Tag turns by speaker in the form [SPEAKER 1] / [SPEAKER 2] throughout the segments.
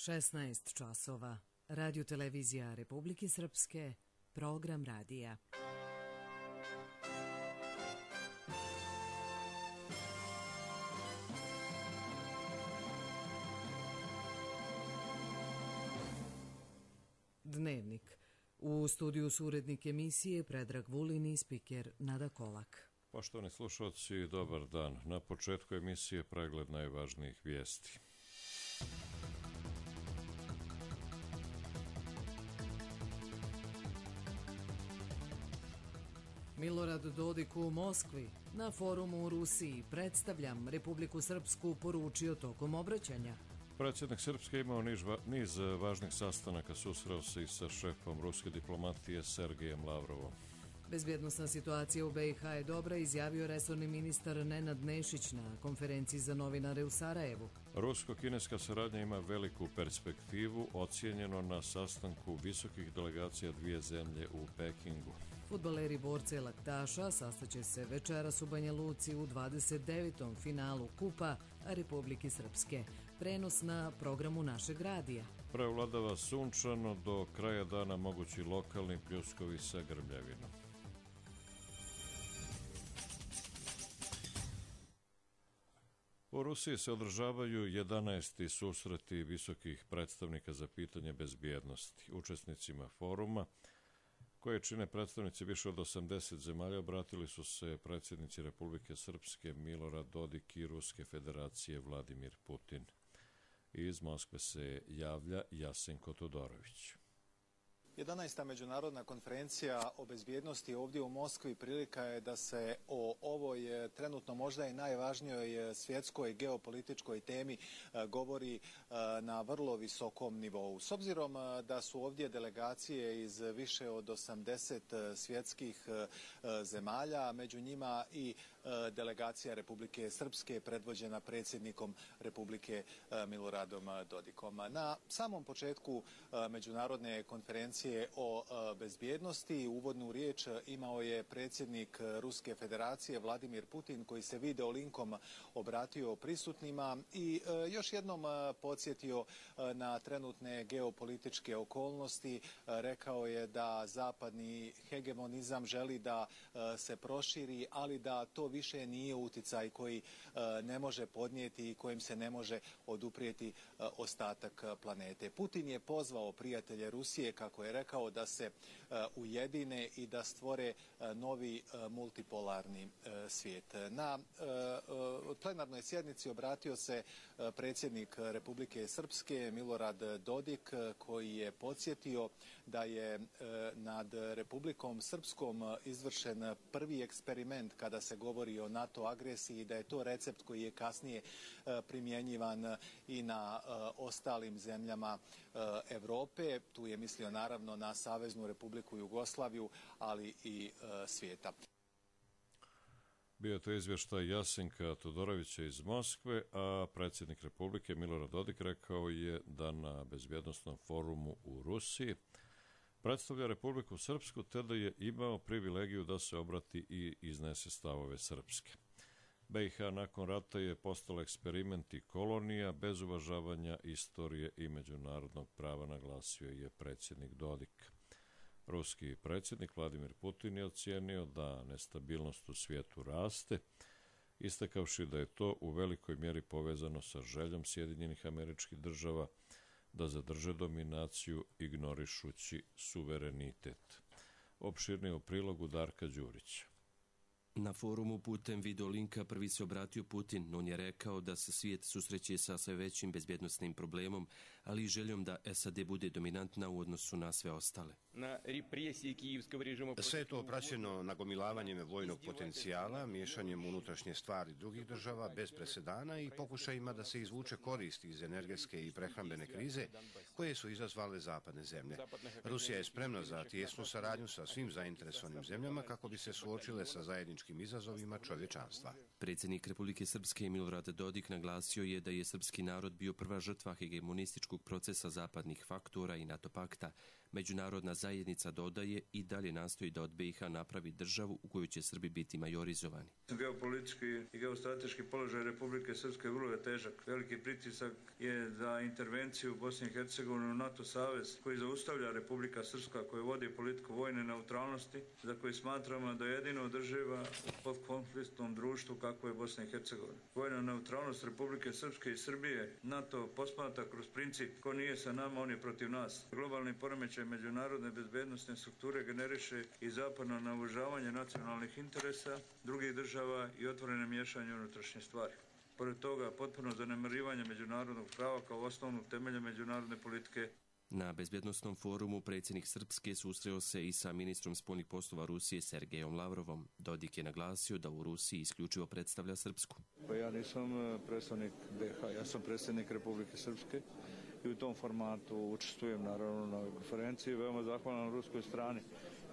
[SPEAKER 1] 16 časova. Radio Televizija Republike Srpske, program radija. Dnevnik. U studiju su urednik emisije Predrag Vulin i spiker Nada Kolak.
[SPEAKER 2] Poštovani slušalci, dobar dan. Na početku emisije pregled najvažnijih vijesti.
[SPEAKER 1] Milorad Dodik u Moskvi. Na forumu u Rusiji predstavljam Republiku Srpsku, poručio tokom obraćanja.
[SPEAKER 2] Predsjednik Srpske imao niz važnih sastanaka, susreo se i sa šefom ruske diplomatije Sergejem Lavrovom.
[SPEAKER 1] Bezbjednosna situacija u BiH je dobra, izjavio resorni ministar Nenad Nešić na konferenciji za novinare u Sarajevu.
[SPEAKER 2] Rusko-kineska saradnja ima veliku perspektivu, ocijenjeno na sastanku visokih delegacija dvije zemlje u Pekingu.
[SPEAKER 1] Fudbaleri borce Laktaša sastaće se večeras u Banja Luci u 29. finalu Kupa Republike Srpske. Prenos na programu našeg radija.
[SPEAKER 2] Prevladava sunčano, do kraja dana mogući lokalni pljuskovi sa grmljavinom. U Rusiji se održavaju 11. susreti visokih predstavnika za pitanje bezbjednosti. Učesnicima foruma, koje čine predstavnici više od 80 zemalja, obratili su se predsjednici Republike Srpske Milorad Dodik i Ruske federacije Vladimir Putin. Iz Moskve se javlja Jasenko Todorović.
[SPEAKER 3] 11. međunarodna konferencija o bezbjednosti ovdje u Moskvi prilika je da se o ovoj trenutno možda i najvažnijoj svjetskoj geopolitičkoj temi govori na vrlo visokom nivou. S obzirom da su ovdje delegacije iz više od 80 svjetskih zemalja, među njima i delegacija Republike Srpske predvođena predsjednikom Republike Miloradom Dodikom. Na samom početku međunarodne konferencije o bezbjednosti uvodnu riječ imao je predsjednik Ruske federacije Vladimir Putin, koji se video linkom obratio prisutnima i još jednom podsjetio na trenutne geopolitičke okolnosti. Rekao je da zapadni hegemonizam želi da se proširi, ali da to više nije uticaj koji ne može podnijeti i kojim se ne može oduprijeti ostatak planete. Putin je pozvao prijatelje Rusije, kako je rekao, da se ujedine i da stvore novi multipolarni svijet. Na plenarnoj sjednici obratio se predsjednik Republike Srpske Milorad Dodik, koji je podsjetio da je nad Republikom Srpskom izvršen prvi eksperiment kada se govori o NATO agresiji i da je to recept koji je kasnije primjenjivan i na ostalim zemljama Europe. Tu je mislio naravno na Saveznu Republiku Jugoslaviju, ali i svijeta.
[SPEAKER 2] Bio je to izvještaj Jasenka Todorovića iz Moskve, a predsjednik Republike Milorad Dodik rekao je da na bezbjednosnom forumu u Rusiji predstavlja Republiku Srpsku, te da je imao privilegiju da se obrati i iznese stavove Srpske. BiH nakon rata je postala eksperiment i kolonija bez uvažavanja istorije i međunarodnog prava, naglasio je predsjednik Dodik. Ruski predsjednik Vladimir Putin je ocijenio da nestabilnost u svijetu raste, istakavši da je to u velikoj mjeri povezano sa željom Sjedinjenih Američkih Država da zadrže dominaciju ignorišući suverenitet. Opširnije u prilogu Darka Đurića.
[SPEAKER 4] Na forumu putem videolinka prvi se obratio Putin. On je rekao da se svijet susreće sa sve većim bezbjednosnim problemom, ali i željom da SAD bude dominantna u odnosu na sve ostale.
[SPEAKER 5] Sve je to praćeno nagomilavanjem vojnog potencijala, miješanjem unutrašnje stvari drugih država bez presedana i pokušajima da se izvuče korist iz energetske i prehrambene krize koje su izazvale zapadne zemlje. Rusija je spremna za tijesnu saradnju sa svim zainteresovanim zemljama kako bi se suočile sa zajedničkim izazovima čovječanstva.
[SPEAKER 4] Predsjednik Republike Srpske Milorad Dodik naglasio je da je srpski narod bio prva žrtva hegemonističkog procesa zapadnih faktora i NATO pakta. Međunarodna zajednica, dodaje, i dalje nastoji da od BiH napravi državu u kojoj će Srbi biti majorizovani.
[SPEAKER 6] Geopolitički i geostrateški položaj Republike Srpske vrlo je težak. Veliki pritisak je za intervenciju Bosne i Hercegovine u NATO savez koji zaustavlja Republika Srpska, koja vodi politiku vojne neutralnosti, za koju smatramo da je jedino održiva u postkonfliktnom društvu kako je Bosna i Hercegovina. Vojna neutralnost Republike Srpske i Srbije NATO posmatra kroz princip ko nije sa nama, on je protiv nas. Globalni poremećaj međunarodne bezbednosne strukture generiše i zapadno naoružavanje nacionalnih interesa drugih država i otvorene miješanje u unutrašnje stvari. Pored toga, potpuno zanemarivanje međunarodnog prava kao osnovnog temelja međunarodne politike.
[SPEAKER 4] Na bezbjednostnom forumu predsjednik Srpske susreo se i sa ministrom spoljnih poslova Rusije Sergejom Lavrovom. Dodik je naglasio da u Rusiji isključivo predstavlja Srpsku.
[SPEAKER 6] Pa ja nisam predstavnik BiH, ja sam predsjednik Republike Srpske i u tom formatu učestvujem naravno na ovoj konferenciji. Veoma zahvalan ruskoj strani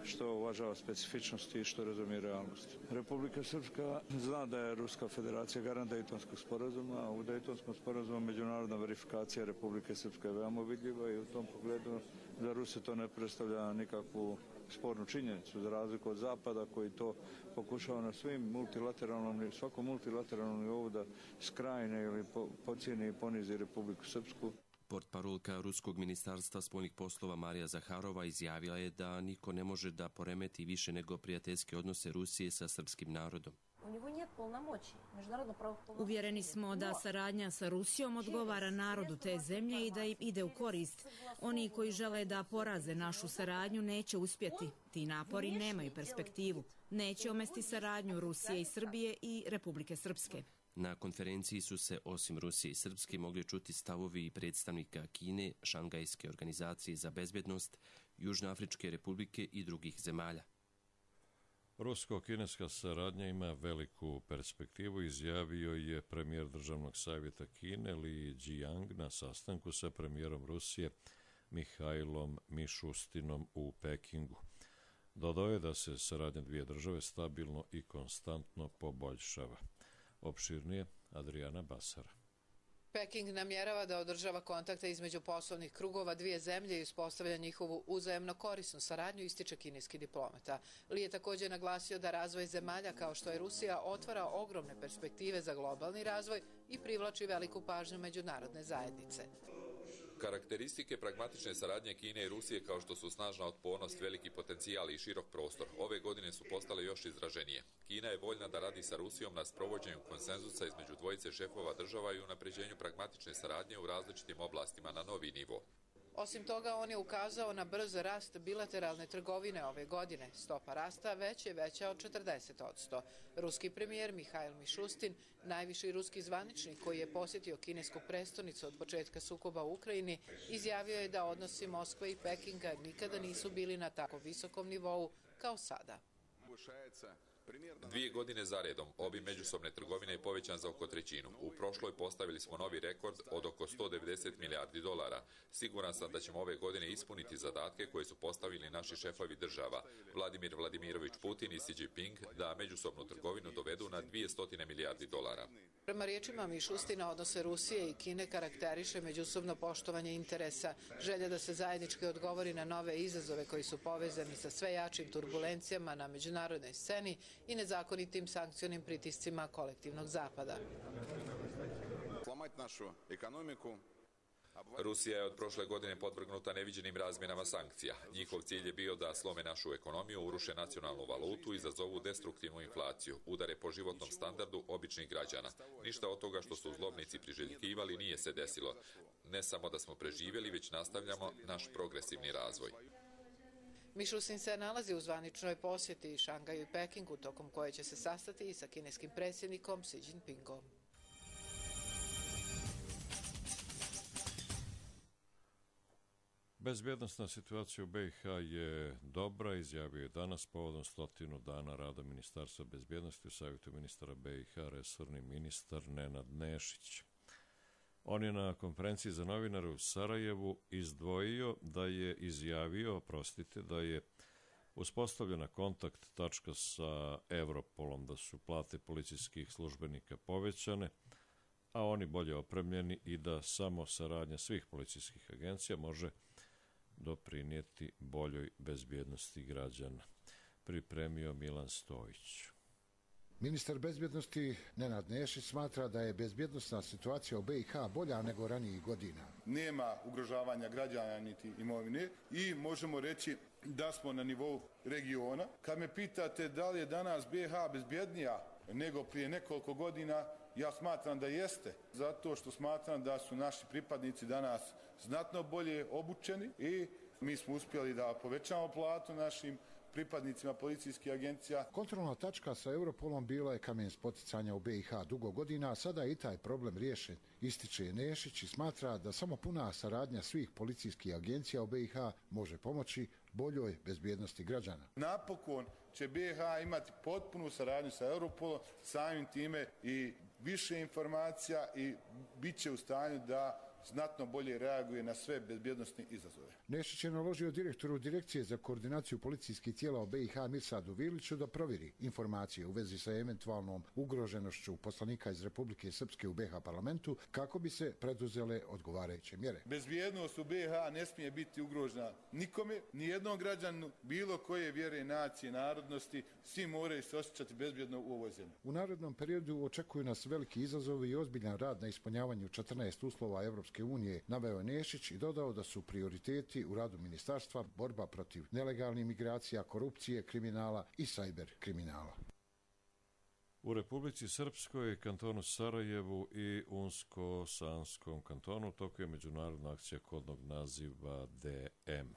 [SPEAKER 6] što uvažava specifičnosti i što razumije realnost. Republika Srpska zna da je Ruska federacija garant Dejtonskog sporazuma, a u Dejtonskom sporazumu međunarodna verifikacija Republike Srpske je veoma vidljiva i u tom pogledu za Ruse to ne predstavlja nikakvu spornu činjenicu, za razliku od Zapada koji to pokušava na svakom multilateralnom nivou da skrajne ili pocijeni i ponizi Republiku Srpsku.
[SPEAKER 4] Portparolka Ruskog ministarstva spoljnih poslova Marija Zaharova izjavila je da niko ne može da poremeti više nego prijateljske odnose Rusije sa srpskim narodom.
[SPEAKER 7] Uvjereni smo da saradnja sa Rusijom odgovara narodu te zemlje i da im ide u korist. Oni koji žele da poraze našu saradnju neće uspjeti. Ti napori nemaju perspektivu. Neće omesti saradnju Rusije i Srbije i Republike Srpske.
[SPEAKER 4] Na konferenciji su se, osim Rusije i Srpske, mogli čuti stavovi predstavnika Kine, Šangajske organizacije za bezbjednost, Južnoafričke republike i drugih zemalja.
[SPEAKER 2] Rusko-kineska saradnja ima veliku perspektivu, izjavio je premijer Državnog savjeta Kine Li Jiang na sastanku sa premijerom Rusije Mihajlom Mišustinom u Pekingu. Dodao je da se saradnja dvije države stabilno i konstantno poboljšava. Opširnije Adriana Basara.
[SPEAKER 8] Peking namjerava da održava kontakte između poslovnih krugova dvije zemlje i uspostavlja njihovu uzajemno korisnu saradnju, ističe kineski diplomata. Li je također naglasio da razvoj zemalja kao što je Rusija otvara ogromne perspektive za globalni razvoj i privlači veliku pažnju međunarodne zajednice.
[SPEAKER 9] Karakteristike pragmatične saradnje Kine i Rusije kao što su snažna otpornost, veliki potencijal i širok prostor, ove godine su postale još izraženije. Kina je voljna da radi sa Rusijom na sprovođenju konsenzusa između dvojice šefova država i unapređenju pragmatične saradnje u različitim oblastima na novi nivo.
[SPEAKER 8] Osim toga, on je ukazao na brz rast bilateralne trgovine ove godine. Stopa rasta već je veća od 40%. Ruski premijer Mihajl Mišustin, najviši ruski zvaničnik koji je posjetio kinesku prestonicu od početka sukoba u Ukrajini, izjavio je da odnosi Moskve i Pekinga nikada nisu bili na tako visokom nivou kao sada.
[SPEAKER 9] 2 godine za redom obim međusobne trgovine je povećan za oko trećinu. U prošloj postavili smo novi rekord od oko 190 milijardi dolara. Siguran sam da ćemo ove godine ispuniti zadatke koje su postavili naši šefovi država, Vladimir Vladimirović Putin i Xi Jinping, da međusobnu trgovinu dovedu na 200 milijardi dolara.
[SPEAKER 8] Prema riječima Mišustina, odnose Rusije i Kine karakteriše međusobno poštovanje interesa, želja da se zajednički odgovori na nove izazove koji su povezani sa sve jačim turbulencijama na međunarodnoj sceni i nezakonitim sankcionim pritiscima kolektivnog Zapada.
[SPEAKER 9] Rusija je od prošle godine podvrgnuta neviđenim razmjenama sankcija. Njihov cilj je bio da slome našu ekonomiju, uruše nacionalnu valutu i izazovu destruktivnu inflaciju, udare po životnom standardu običnih građana. Ništa od toga što su zlobnici priželjkivali nije se desilo. Ne samo da smo preživjeli, već nastavljamo naš progresivni razvoj.
[SPEAKER 8] Mišustin se nalazi u zvaničnoj posjeti Šangaju i Pekingu, tokom koje će se sastati i sa kineskim predsjednikom Xi Jinpingom.
[SPEAKER 2] Bezbjednosna situacija u BiH je dobra, izjavio je danas povodom 100 dana rada Ministarstva bezbjednosti u Savjetu ministara BiH resorni ministar Nenad Nešić. On je na konferenciji za novinare u Sarajevu izdvojio da je izjavio, da je uspostavljena kontakt tačka sa Europolom, da su plate policijskih službenika povećane, a oni bolje opremljeni i da samo saradnja svih policijskih agencija može doprinijeti boljoj bezbjednosti građana. Pripremio Milan Stojić.
[SPEAKER 10] Ministar bezbjednosti Nenad Nešić smatra da je bezbjednosna situacija u BiH bolja nego ranijih godina.
[SPEAKER 11] Nema ugrožavanja građana niti imovine i možemo reći da smo na nivou regiona. Kad me pitate da li je danas BiH bezbjednija nego prije nekoliko godina, ja smatram da jeste, zato što smatram da su naši pripadnici danas znatno bolje obučeni i mi smo uspjeli da povećamo platu našim pripadnicima policijskih agencija.
[SPEAKER 10] Kontrolna tačka sa Europolom bila je kamen spoticanja u BiH dugo godina, a sada je i taj problem riješen, ističe Nešić i smatra da samo puna saradnja svih policijskih agencija u BiH može pomoći boljoj bezbjednosti građana.
[SPEAKER 11] Napokon će BiH imati potpunu saradnju sa Europolom, samim time i više informacija i bit će u stanju da znatno bolje reaguje na sve bezbjednosne izazove.
[SPEAKER 10] Nešić je naložio direktoru Direkcije za koordinaciju policijskih tijela u BiH Mirsadu Viliću da provjeri informacije u vezi sa eventualnom ugroženošću poslanika iz Republike Srpske u BiH parlamentu kako bi se preduzele odgovarajuće mjere.
[SPEAKER 11] Bezbjednost u BiH ne smije biti ugrožena nikome, ni jednom građanu, bilo koje vjere, nacije, narodnosti, svi moraju se osjećati bezbjedno u ovoj zemlji.
[SPEAKER 10] U narednom periodu očekuju nas veliki izazovi i ozbiljan rad na ispunjavanju 14 uslova Europske unije, naveo Nešić i dodao da su prioriteti u radu ministarstva borba protiv nelegalnih migracija, korupcije, kriminala i sajber kriminala.
[SPEAKER 2] U Republici Srpskoj, kantonu Sarajevu i Unsko-Sanskom kantonu toku je međunarodna akcija kodnog naziva DM.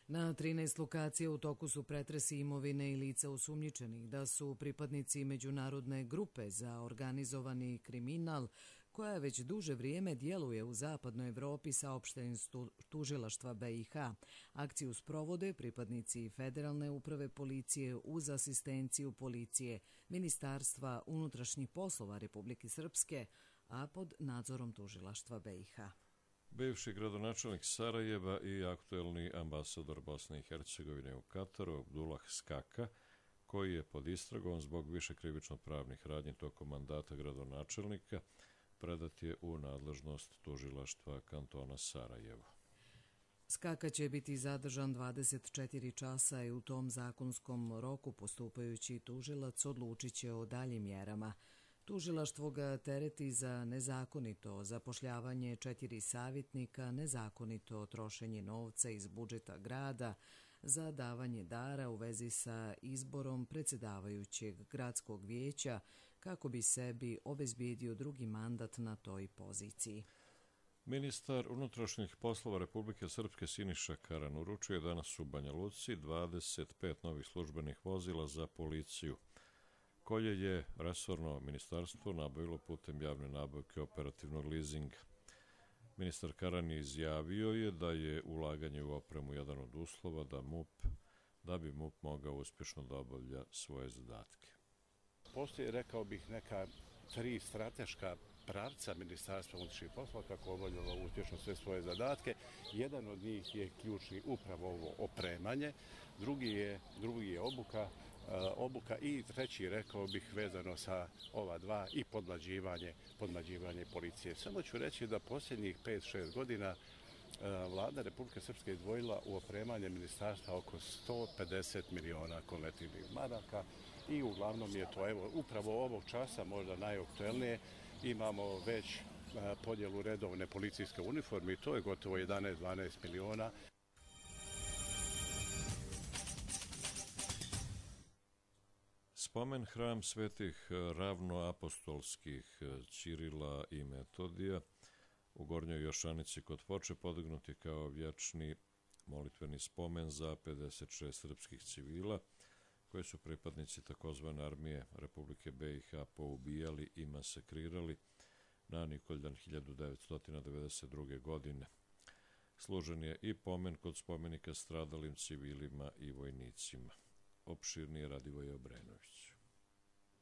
[SPEAKER 1] Na 13 lokacija u toku su pretresi imovine i lica osumnjičenih da su pripadnici međunarodne grupe za organizovani kriminal koja već duže vrijeme djeluje u zapadnoj Evropi, saopšteni tužilaštva BiH. Akciju sprovode pripadnici Federalne uprave policije uz asistenciju policije Ministarstva unutrašnjih poslova Republike Srpske, a pod nadzorom tužilaštva BiH.
[SPEAKER 2] Bivši gradonačelnik Sarajeva i aktuelni ambasador Bosne i Hercegovine u Kataru, Abdullah Skaka, koji je pod istragom zbog više krivično pravnih radnji tokom mandata gradonačelnika, predat je u nadležnost tužilaštva kantona Sarajevo.
[SPEAKER 1] Skaka će biti zadržan 24 časa i u tom zakonskom roku postupajući tužilac odlučit će o daljim mjerama. Tužilaštvo ga tereti za nezakonito zapošljavanje 4 savjetnika, nezakonito trošenje novca iz budžeta grada, za davanje dara u vezi sa izborom predsjedavajućeg gradskog vijeća kako bi sebi obezbijedio drugi mandat na toj poziciji.
[SPEAKER 2] Ministar unutrašnjih poslova Republike Srpske Siniša Karan uručuje danas u Banja Luci 25 novih službenih vozila za policiju, koje je resorno ministarstvo nabavilo putem javne nabavke operativnog lizinga. Ministar Karan izjavio je da je ulaganje u opremu jedan od uslova da bi MUP mogao uspješno da obavlja svoje zadatke.
[SPEAKER 12] Postoji, rekao bih, neka 3 strateška pravca Ministarstva unutrašnjih poslova kako obavljalo uspješno sve svoje zadatke. Jedan od njih je ključni upravo ovo opremanje, drugi je obuka i treći, rekao bih, vezano sa ova dva i podmlađivanje policije. Samo ću reći da posljednjih 5-6 godina Vlada Republike Srpske izdvojila u opremanje ministarstva oko 150 miliona konvertibilnih maraka i uglavnom je to upravo ovog časa možda najaktuelnije. Imamo već podjelu redovne policijske uniforme i to je gotovo 11-12 miliona.
[SPEAKER 2] Spomen hram svetih ravnoapostolskih Ćirila i Metodija u Gornjoj Jošanici kod Foče podignut je kao vječni molitveni spomen za 56 srpskih civila koji su pripadnici takozvane armije Republike BiH poubijali i masakrirali na Nikoljan 1992. godine. Služen je i pomen kod spomenika stradalim civilima i vojnicima. Opširnije Radivoj Obrenović.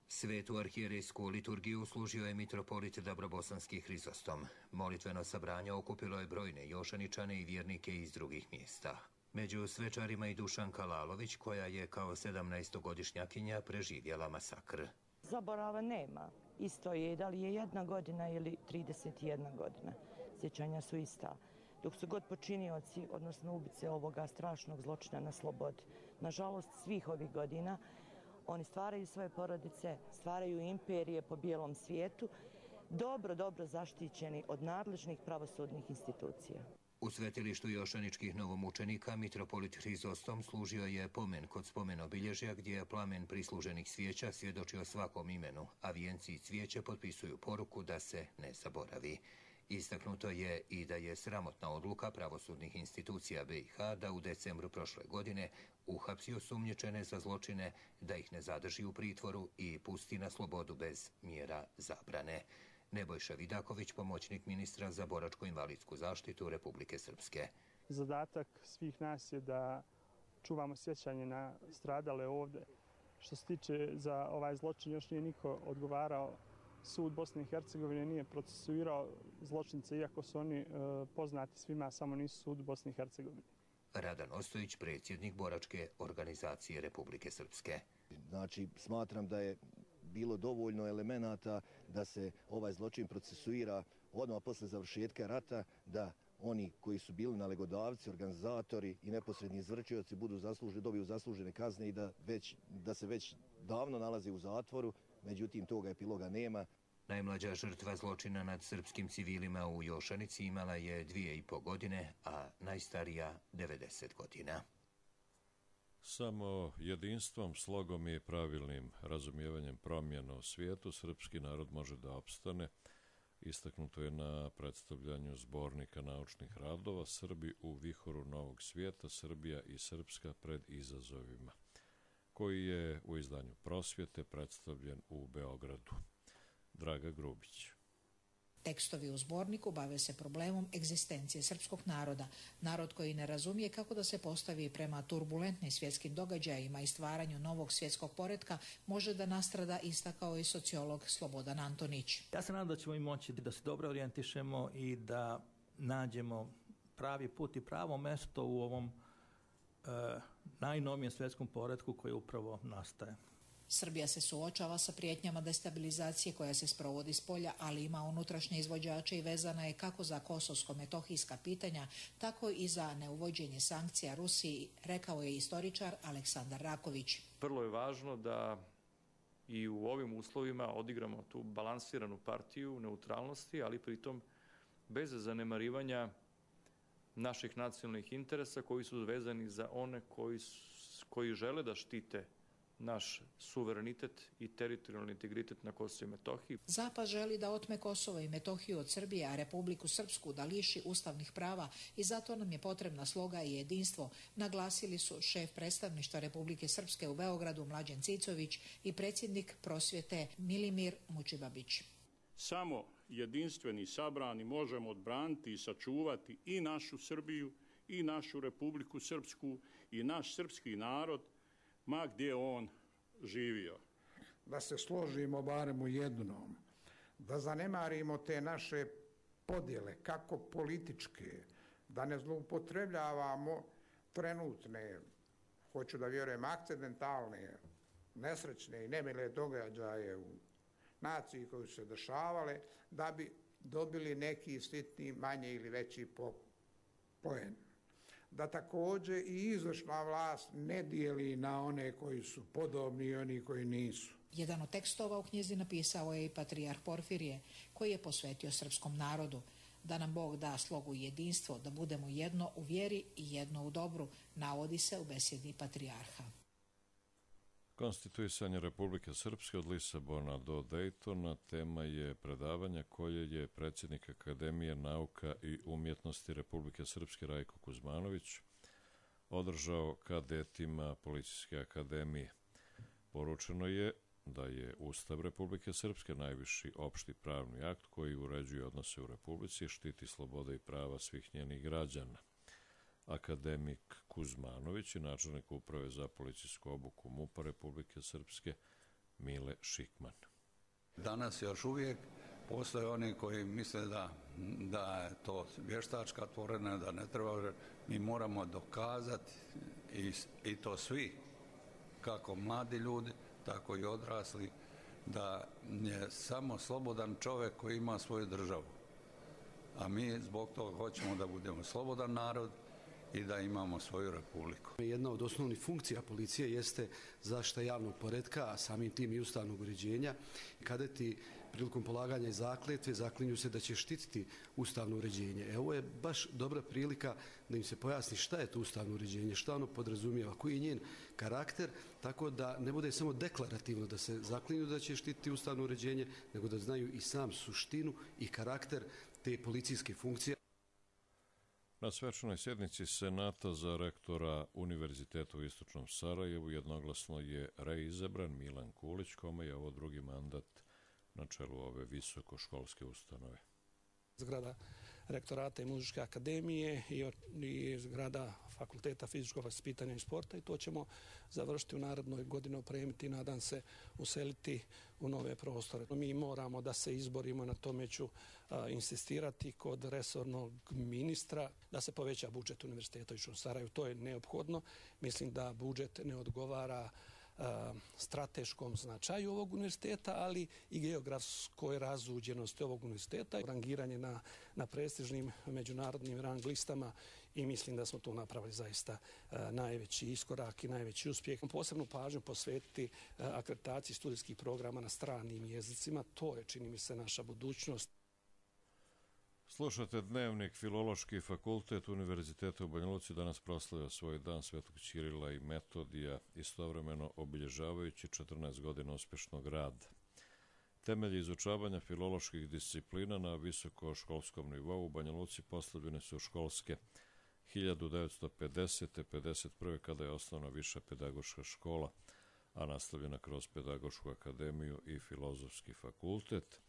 [SPEAKER 13] Svetu arhijerejsku liturgiju služio je mitropolit Dabrobosanski Hrizostom. Molitveno sabranje okupilo je brojne Jošaničane i vjernike iz drugih mjesta. Među svečarima i Dušanka Lalović, koja je kao 17-godišnjakinja preživjela masakr.
[SPEAKER 14] Zaborava nema. Isto je, da li je 1 godina ili 31 godina. Sjećanja su ista. dok su god počinioci, odnosno ubice ovoga strašnog zločina na slobodi. Nažalost, svih ovih godina oni stvaraju svoje porodice, stvaraju imperije po bijelom svijetu, dobro zaštićeni od nadležnih pravosudnih institucija.
[SPEAKER 13] U svetilištu jošaničkih novomučenika mitropolit Hrizostom služio je pomen kod spomen obilježja gdje je plamen prisluženih svijeća svjedočio svakom imenu, a vijenci i cvijeće potpisuju poruku da se ne zaboravi. Istaknuto je i da je sramotna odluka pravosudnih institucija BiH da u decembru prošle godine uhapsi osumnjičene za zločine, da ih ne zadrži u pritvoru i pusti na slobodu bez mjera zabrane. Nebojša Vidaković, pomoćnik ministra za boračko-invalidsku zaštitu Republike Srpske.
[SPEAKER 15] Zadatak svih nas je da čuvamo sjećanje na stradale ovdje. Što se tiče za ovaj zločin, još nije niko odgovarao. Sud Bosne i Hercegovine nije procesuirao zločince, iako su oni poznati svima, samo nisu sud Bosne i Hercegovine.
[SPEAKER 13] Radan Ostojić, predsjednik boračke organizacije Republike Srpske.
[SPEAKER 16] Znači, smatram da je bilo dovoljno elemenata da se ovaj zločin procesuira odmah posle završetka rata, da oni koji su bili nalegodavci, organizatori i neposredni izvršioci dobiju zaslužene kazne i da se već davno nalaze u zatvoru, međutim toga epiloga nema.
[SPEAKER 13] Najmlađa žrtva zločina nad srpskim civilima u Jošanici imala je 2,5 godine, a najstarija 90 godina.
[SPEAKER 2] Samo jedinstvom, slogom i pravilnim razumijevanjem promjena u svijetu srpski narod može da opstane. Istaknuto je na predstavljanju zbornika naučnih radova Srbi u vihoru novog svijeta, Srbija i Srpska pred izazovima, koji je u izdanju Prosvjete predstavljen u Beogradu. Draga Grubić.
[SPEAKER 17] Tekstovi u zborniku bave se problemom egzistencije srpskog naroda. Narod koji ne razumije kako da se postavi prema turbulentnim svjetskim događajima i stvaranju novog svjetskog poretka može da nastrada, istakao i sociolog Slobodan Antonić.
[SPEAKER 18] Ja se nadam da ćemo i moći da se dobro orijentišemo i da nađemo pravi put i pravo mesto u ovom najnovijem svjetskom poretku koji upravo nastaje.
[SPEAKER 17] Srbija se suočava sa prijetnjama destabilizacije koja se sprovodi s polja, ali ima unutrašnje izvođače i vezana je kako za kosovsko-metohijska pitanja, tako i za neuvođenje sankcija Rusiji, rekao je istoričar Aleksandar Raković.
[SPEAKER 19] Vrlo je važno da i u ovim uslovima odigramo tu balansiranu partiju neutralnosti, ali pritom bez zanemarivanja naših nacionalnih interesa koji su vezani za one koji žele da štite naš suverenitet i teritorijalni integritet na Kosovu i Metohiji.
[SPEAKER 17] Zapad želi da otme Kosovo i Metohiju od Srbije, a Republiku Srpsku da liši ustavnih prava i zato nam je potrebna sloga i jedinstvo, naglasili su šef predstavništva Republike Srpske u Beogradu Mlađan Cicović i predsjednik Prosvjete Milimir Mučibabić.
[SPEAKER 20] Samo jedinstveni sabrani možemo odbraniti i sačuvati i našu Srbiju i našu Republiku Srpsku i naš srpski narod, ma gdje on živio.
[SPEAKER 21] Da se složimo barem u jednom, da zanemarimo te naše podjele, kako političke, da ne zloupotrebljavamo trenutne, hoću da vjerujem, akcidentalne, nesrećne i nemile događaje u naciji koji su se dešavale, da bi dobili neki sitni, manje ili veći poen. Da također i izvršna vlast ne dijeli na one koji su podobni i oni koji nisu.
[SPEAKER 17] Jedan od tekstova u knjizi napisao je i patrijarh Porfirije, koji je posvetio srpskom narodu. Da nam Bog da slogu i jedinstvo, da budemo jedno u vjeri i jedno u dobru, navodi se u besjedi patrijarha.
[SPEAKER 2] Konstituisanje Republike Srpske od Lisabona do Dejtona tema je predavanja koje je predsjednik Akademije nauka i umjetnosti Republike Srpske Rajko Kuzmanović održao kadetima Policijske akademije. Poručeno je da je Ustav Republike Srpske najviši opšti pravni akt koji uređuje odnose u Republici i štiti slobode i prava svih njenih građana. Akademik Kuzmanović i načelnik uprave za policijsku obuku MUP-a Republike Srpske Mile Šikman.
[SPEAKER 22] Danas još uvijek postoje oni koji misle da je to vještačka tvorevina, da ne treba. Mi moramo dokazati i to svi, kako mladi ljudi, tako i odrasli, da je samo slobodan čovjek koji ima svoju državu. a mi zbog toga hoćemo da budemo slobodan narod i da imamo svoju republiku.
[SPEAKER 3] Jedna od osnovnih funkcija policije jeste zaštita javnog poretka, a samim tim i ustavnog uređenja. Kadeti prilikom polaganja zakletve zaklinju se da će štititi ustavno uređenje. Ovo je baš dobra prilika da im se pojasni šta je to ustavno uređenje, šta ono podrazumijeva, koji je njen karakter, tako da ne bude samo deklarativno da se zaklinju da će štititi ustavno uređenje, nego da znaju i sam suštinu i karakter te policijske funkcije.
[SPEAKER 2] Na svečanoj sjednici Senata za rektora Univerziteta u Istočnom Sarajevu jednoglasno je reizabran Milan Kulić, kome je ovo drugi mandat na čelu ove visokoškolske ustanove.
[SPEAKER 5] Zgrada rektorata i muzičke akademije i zgrada fakulteta fizičkog vaspitanja i sporta, i to ćemo završiti u narednoj godini, opremiti i nadam se useliti u nove prostore. Mi moramo da se izborimo, na tome ću insistirati kod resornog ministra, da se poveća budžet Univerziteta u Istočnom Sarajevu. To je neophodno. Mislim da budžet ne odgovara strateškom značaju ovog univerziteta, ali i geografskoj razuđenosti ovog univerziteta. Rangiranje na prestižnim međunarodnim rang listama, i mislim da smo tu napravili zaista najveći iskorak i najveći uspjeh. Posebnu pažnju posvetiti akreditaciji studijskih programa na stranim jezicima. To je, čini mi se, naša budućnost.
[SPEAKER 2] Slušate Dnevnik. Filološki fakultet Univerziteta u Banja Luci danas proslavlja svoj dan Svetog Ćirila i Metodija, istovremeno obilježavajući 14 godina uspješnog rada. Temelji izučavanja filoloških disciplina na visokoškolskom nivou u Banja Luci postavljene su školske 1950. 51. kada je osnovna viša pedagoška škola, a nastavljena kroz Pedagošku akademiju i Filozofski fakultet,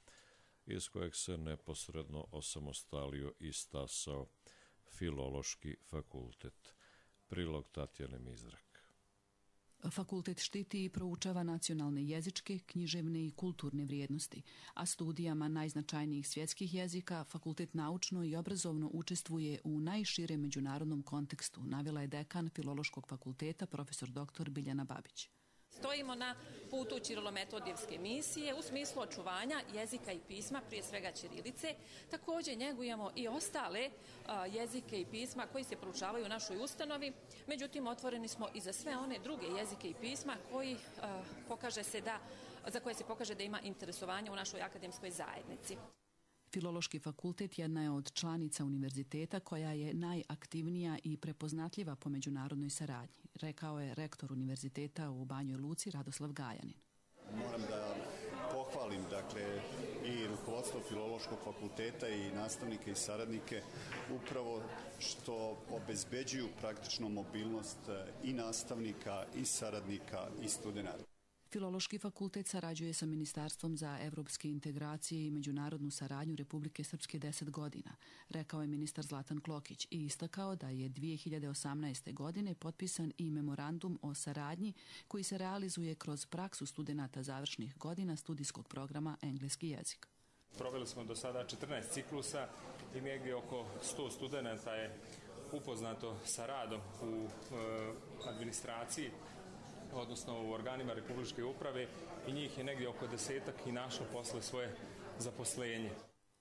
[SPEAKER 2] iz kojeg se neposredno osamostalio i stasao Filološki fakultet. Prilog Tatjane Mizrak.
[SPEAKER 23] Fakultet štiti i proučava nacionalne jezičke, književne i kulturne vrijednosti, a studijama najznačajnijih svjetskih jezika fakultet naučno i obrazovno učestvuje u najširem međunarodnom kontekstu, navela je dekan Filološkog fakulteta profesor dr. Biljana Babić.
[SPEAKER 24] Stojimo na putu ćirilometodijevske misije u smislu očuvanja jezika i pisma, prije svega ćirilice. Također njegujemo i ostale jezike i pisma koji se proučavaju u našoj ustanovi. Međutim, otvoreni smo i za sve one druge jezike i pisma za koje se pokaže da ima interesovanja u našoj akademskoj zajednici.
[SPEAKER 23] Filološki fakultet jedna je od članica univerziteta koja je najaktivnija i prepoznatljiva po međunarodnoj saradnji, rekao je rektor univerziteta u Banjoj Luci Radoslav Gajanin.
[SPEAKER 25] Moram da pohvalim i rukovodstvo Filološkog fakulteta i nastavnike i saradnike upravo što obezbeđuju praktično mobilnost i nastavnika i saradnika i studenata.
[SPEAKER 23] Filološki fakultet sarađuje sa Ministarstvom za evropske integracije i međunarodnu saradnju Republike Srpske 10 godina, rekao je ministar Zlatan Klokić i istakao da je 2018. godine potpisan i memorandum o saradnji koji se realizuje kroz praksu studenata završnih godina studijskog programa engleski jezik.
[SPEAKER 26] Proveli smo do sada 14 ciklusa i negdje oko 100 studenata je upoznato sa radom u administraciji, odnosno u organima Republičke uprave, i njih je negdje oko 10-ak i našlo posle svoje zaposlenje.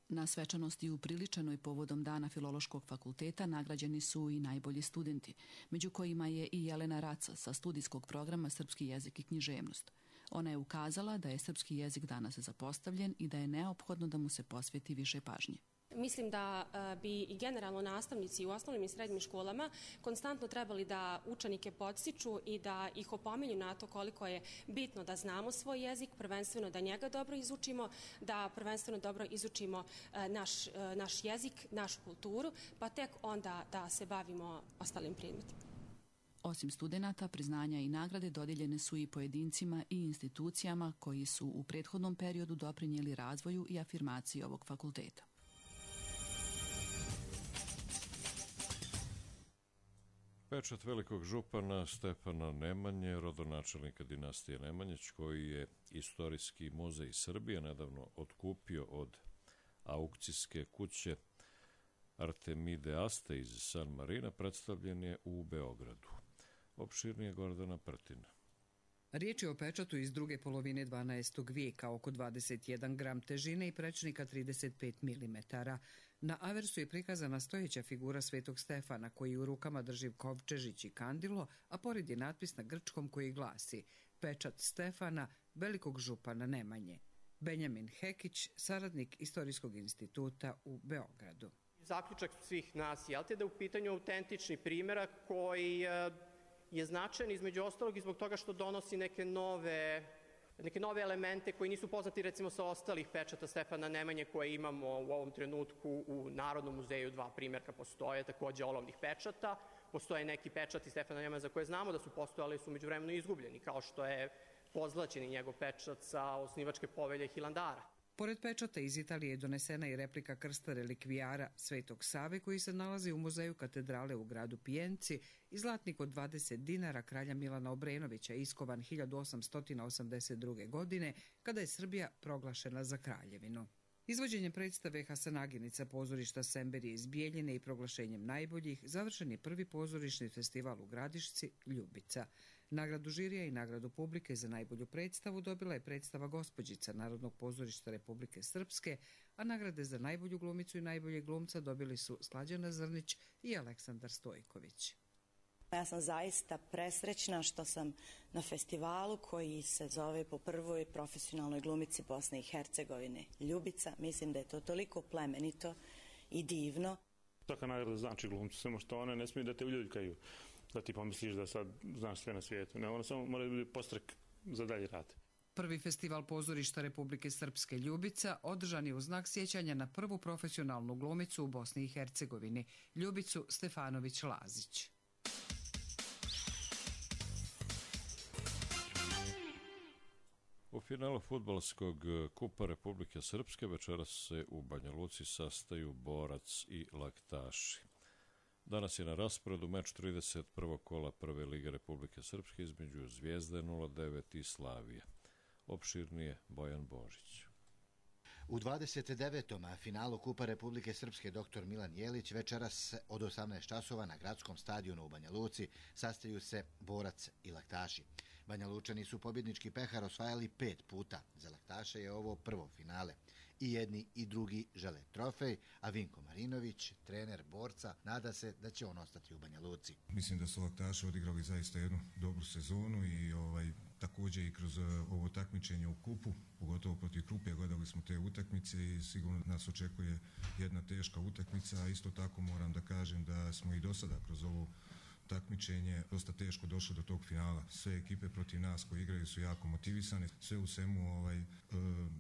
[SPEAKER 23] Na svečanosti upriličenoj povodom Dana Filološkog fakulteta nagrađeni su i najbolji studenti, među kojima je i Jelena Raca sa studijskog programa Srpski jezik i književnost. Ona je ukazala da je srpski jezik danas zapostavljen i da je neophodno da mu se posveti više pažnje.
[SPEAKER 27] Mislim da bi i generalno nastavnici u osnovnim i srednjim školama konstantno trebali da učenike podstiču i da ih opominju na to koliko je bitno da znamo svoj jezik, prvenstveno da njega dobro izučimo, da prvenstveno dobro izučimo naš jezik, našu kulturu, pa tek onda da se bavimo ostalim predmetima.
[SPEAKER 23] Osim studenata, priznanja i nagrade dodijeljene su i pojedincima i institucijama koji su u prethodnom periodu doprinijeli razvoju i afirmaciji ovog fakulteta.
[SPEAKER 2] Pečat velikog župana Stefana Nemanje, rodonačelnika dinastije Nemanjić, koji je Istorijski muzej Srbije nedavno otkupio od aukcijske kuće Artemide Aste iz San Marina, predstavljen je u Beogradu. Opširnije Gordana Prtina.
[SPEAKER 1] Riječ je o pečatu iz druge polovine 12. vijeka, oko 21 gram težine i prečnika 35 mm. Na aversu je prikazana stojeća figura Svetog Stefana koji u rukama drži kovčežić i kandilo, a pored je natpis na grčkom koji glasi Pečat Stefana, velikog župana Nemanje. Benjamin Hekić, saradnik Istorijskog instituta u Beogradu.
[SPEAKER 4] Zaključak svih nas je da je u pitanju autentični primjerak koji je značajan između ostalog i zbog toga što donosi neke nove elemente koji nisu poznati recimo sa ostalih pečata Stefana Nemanje koje imamo u ovom trenutku u Narodnom muzeju. Dva primjerka postoje, takođe olovnih pečata. Postoje neki pečati Stefana Nemanje za koje znamo da su postojali, su međuvremeno izgubljeni, kao što je pozlaćeni njegov pečat sa osnivačke povelje Hilandara.
[SPEAKER 1] Pored pečata iz Italije je donesena i replika krsta relikvijara Svetog Save koji se nalazi u muzeju katedrale u gradu Pijenci i zlatnik od 20 dinara kralja Milana Obrenovića iskovan 1882. godine kada je Srbija proglašena za kraljevinu. Izvođenjem predstave Hasanaginica pozorišta Semberije iz Bijeljine i proglašenjem najboljih završen je prvi pozorišni festival u Gradišci Ljubica. Nagradu žirija i nagradu publike za najbolju predstavu dobila je predstava Gospođica Narodnog pozorišta Republike Srpske, a nagrade za najbolju glumicu i najboljeg glumca dobili su Slađana Zrnić i Aleksandar Stojković.
[SPEAKER 14] Ja sam zaista presrećna što sam na festivalu koji se zove po prvoj profesionalnoj glumici Bosne i Hercegovine Ljubica. Mislim da je to toliko plemenito i divno.
[SPEAKER 6] Svaka nagrada znači glumcu, samo što one ne smiju da te uljuljkaju, da ti pomisliš da sad znaš sve na svijetu. Ne, ono samo mora biti postrek za dalje rad.
[SPEAKER 1] Prvi festival pozorišta Republike Srpske Ljubica održan je u znak sjećanja na prvu profesionalnu glumicu u Bosni i Hercegovini, Ljubicu Stefanović-Lazić.
[SPEAKER 2] U finalu fudbalskog kupa Republike Srpske večeras se u Banja Luci sastaju Borac i Laktaši. Danas je na rasporedu meč 31. kola Prve lige Republike Srpske između Zvijezde 09 i Slavije. Opširnije Bojan Božić.
[SPEAKER 7] U 29. finalu Kupa Republike Srpske dr. Milan Jelić večeras od 18 časova na gradskom stadionu u Banja Luci sastaju se Borac i Laktaši. Banja Lučani su pobjednički pehar osvajali 5 puta. Za Laktaše je ovo prvo finale. I jedni i drugi žele trofej, a Vinko Marinović, trener Borca, nada se da će on ostati u Banja Luci.
[SPEAKER 8] Mislim da su Laktaši odigrali zaista jednu dobru sezonu i također i kroz ovo takmičenje u kupu, pogotovo protiv Krupje, gledali smo te utakmice i sigurno nas očekuje jedna teška utakmica, a isto tako moram da kažem da smo i do sada kroz ovo takmičenje dosta teško došlo do tog finala. Sve ekipe protiv nas koji igraju su jako motivisane. Sve u svemu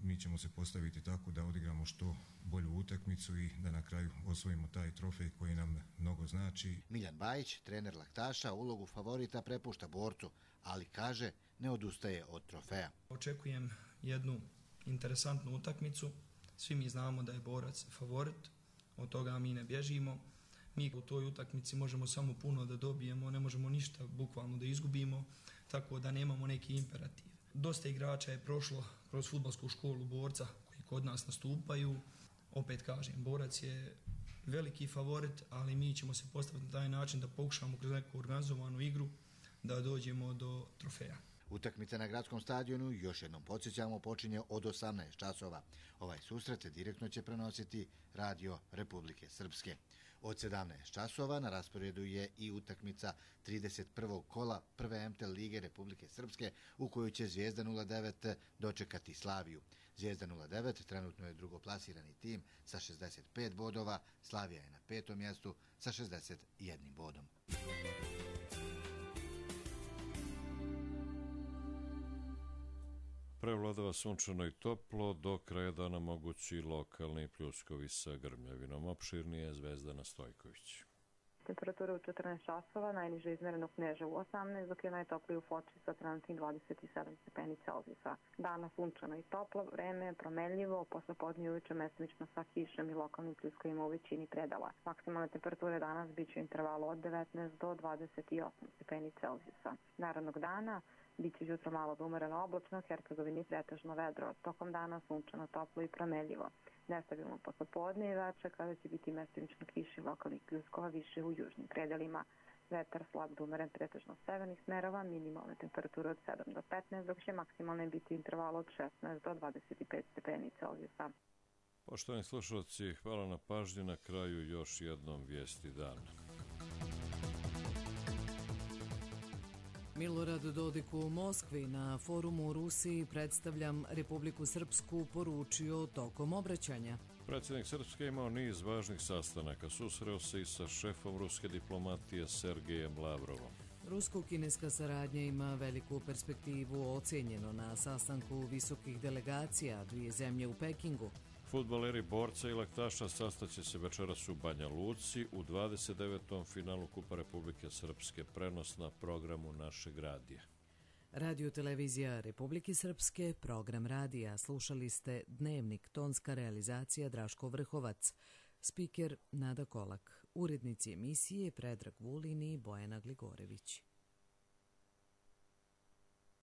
[SPEAKER 8] mi ćemo se postaviti tako da odigramo što bolju utakmicu i da na kraju osvojimo taj trofej koji nam mnogo znači.
[SPEAKER 7] Miljan Bajić, trener Laktaša, ulogu favorita prepušta Borcu, ali kaže ne odustaje od trofeja.
[SPEAKER 9] Očekujem jednu interesantnu utakmicu. Svi mi znamo da je Borac favorit, od toga mi ne bježimo. Mi u toj utakmici možemo samo puno da dobijemo, ne možemo ništa bukvalno da izgubimo, tako da nemamo neki imperativ. Dosta igrača je prošlo kroz fudbalsku školu Borca koji kod nas nastupaju. Opet kažem, Borac je veliki favorit, ali mi ćemo se postaviti na taj način da pokušamo kroz neku organizovanu igru da dođemo do trofeja.
[SPEAKER 7] Utakmica na gradskom stadionu, još jednom podsjećamo, počinje od 18 časova. Ovaj susret direktno će prenositi Radio Republike Srpske. Od 17 časova na rasporedu je i utakmica 31. kola Prve MTL lige Republike Srpske u kojoj će Zvijezda 09 dočekati Slaviju. Zvijezda 09 trenutno je drugoplasirani tim sa 65 bodova, Slavija je na 5. mjestu sa 61 bodom.
[SPEAKER 2] Prevladava sunčano i toplo, do kraja dana mogući lokalni pljuskovi sa grmljavinom. Opširnije Zvezdana Stojković.
[SPEAKER 10] Temperatura u 14 časova, najniže izmjereno u Kneževu 18, dok je najtopliji u Foči sa trenutnih 27 stepeni Celzijusa. Danas sunčano i toplo, vreme je promenljivo, posle podne uveče mestimično sa kišom i lokalnim pljuskovima u većini predala. Maksimalne temperature danas bit će u intervalu od 19 do 28 stepeni Celzijusa. Narednog dana biće jutro malo da umereno oblačno, Hercegovini pretežno vedro, tokom dana sunčano, toplo i promenljivo. Nestabilno posle podne i veče kada će biti mestimično kiši lokalnih pljuskova više u južnim predelima. Vetar slab do umeren pretežno severnih smerova, minimalne temperature od 7 do 15, dok će maksimalne biti interval od 16 do 25 stepeni Celzijusa.
[SPEAKER 2] Poštovani slušalci, hvala na pažnji. Na kraju još jednom vijesti dana.
[SPEAKER 1] Milorad Dodik u Moskvi na forumu u Rusiji predstavljam Republiku Srpsku poručio tokom obraćanja.
[SPEAKER 2] Predsjednik Srpske imao niz važnih sastanaka. Susreo se i sa šefom ruske diplomatije Sergejem Lavrovom.
[SPEAKER 1] Rusko-kineska saradnja ima veliku perspektivu, ocenjeno na sastanku visokih delegacija dvije zemlje u Pekingu.
[SPEAKER 2] Fudbaleri borca i laktaša sastaće se večeras u Banja Luci u 29. finalu Kupa Republike Srpske, prenos na programu našeg radija.
[SPEAKER 1] Radio televizija Republike Srpske, program radija. Slušali ste Dnevnik, tonska realizacija Draško Vrhovac, spiker Nada Kolak, urednici emisije Predrag Vulin i Bojana Gligorević.